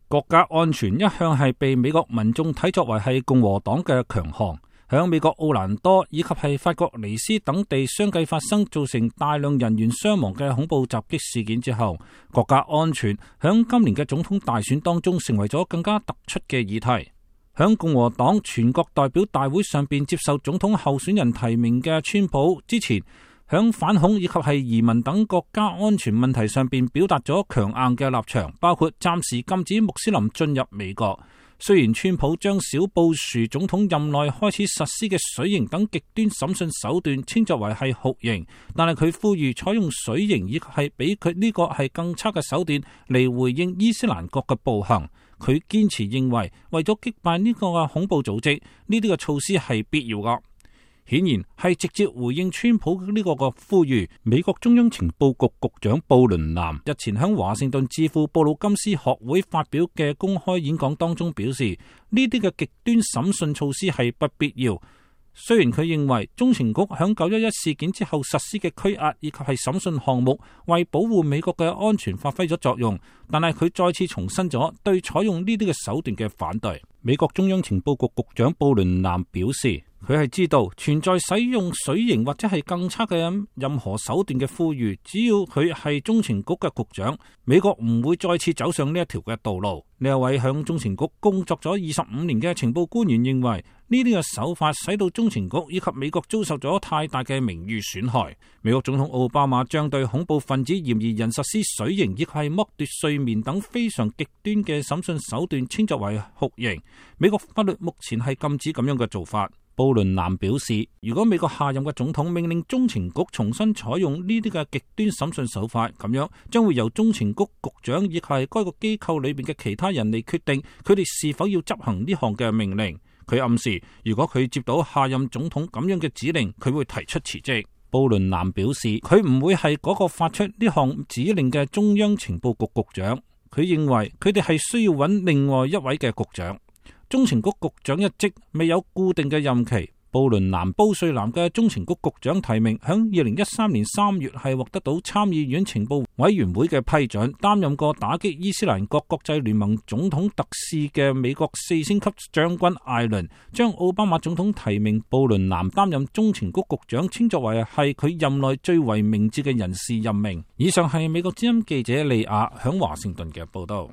國家安全一向係被美國民眾睇作為係共和黨嘅強項。響美國奧蘭多以及係法國尼斯等地相繼發生造成大量人員傷亡嘅恐怖襲擊事件之後，國家安全響今年嘅總統大選當中成為咗更加突出嘅議題。響共和黨全國代表大會上邊接受總統候選人提名嘅川普之前，響反恐以及係移民等國家安全問題上邊表達咗強硬嘅立場，包括暫時禁止穆斯林進入美國。雖然川普將小布殊總統任內開始實施嘅水刑等極端審訊手段稱作為係酷刑，但係佢呼籲採用水刑以及係比佢呢個係更差嘅手段嚟回應伊斯蘭國嘅暴行。佢堅持認為為咗擊敗呢個嘅恐怖組織，呢啲嘅措施係必要噶。顯然係直接回應川普呢個嘅呼籲。美國中央情報局局長布倫南日前喺華盛頓智庫布魯金斯學會發表嘅公開演講當中表示，呢啲嘅極端審訊措施係不必要。雖然佢認為中情局響911事件之後實施嘅拘押以及係審訊項目為保護美國嘅安全發揮咗作用，但係佢再次重申咗對採用呢啲嘅手段嘅反對。美國中央情報局局長布倫南表示，佢係知道存在使用水刑或者係更差嘅任何手段嘅呼籲，只要佢係中情局嘅局長，美國唔會再次走上呢一條嘅道路。呢一位響中情局工作咗25年嘅情報官員認為，呢啲嘅手法使到中情局以及美國遭受咗太大嘅名譽損害。美國總統奧巴馬將對恐怖分子嫌疑人實施水刑以及係剝奪睡眠等非常極端嘅審訊手段稱作為酷刑。美國法律目前係禁止咁樣嘅做法。布倫南表示，如果美國下任嘅總統命令中情局重新採用呢啲嘅極端審訊手法，咁樣將會由中情局局長以及係該個機構裏邊嘅其他人嚟決定佢哋是否要執行呢項嘅命令。佢暗示，如果佢接到下任總統咁樣嘅指令，佢會提出辭職。布倫南表示，佢唔會係嗰個發出呢項指令嘅中央情報局局長。佢認為佢哋係需要揾另外一位嘅局長。中情局局長一職未有固定嘅任期。布瑞南嘅中情局局長提名響2013年3月係獲得到參議院情報委員會嘅批准，擔任過打擊伊斯蘭國國際聯盟總統特使嘅美國4星級將軍艾倫，將奧巴馬總統提名布倫南擔任中情局局長，稱作為係佢任內最為明智嘅人事任命。以上係美國之音記者利亞響華盛頓嘅報道。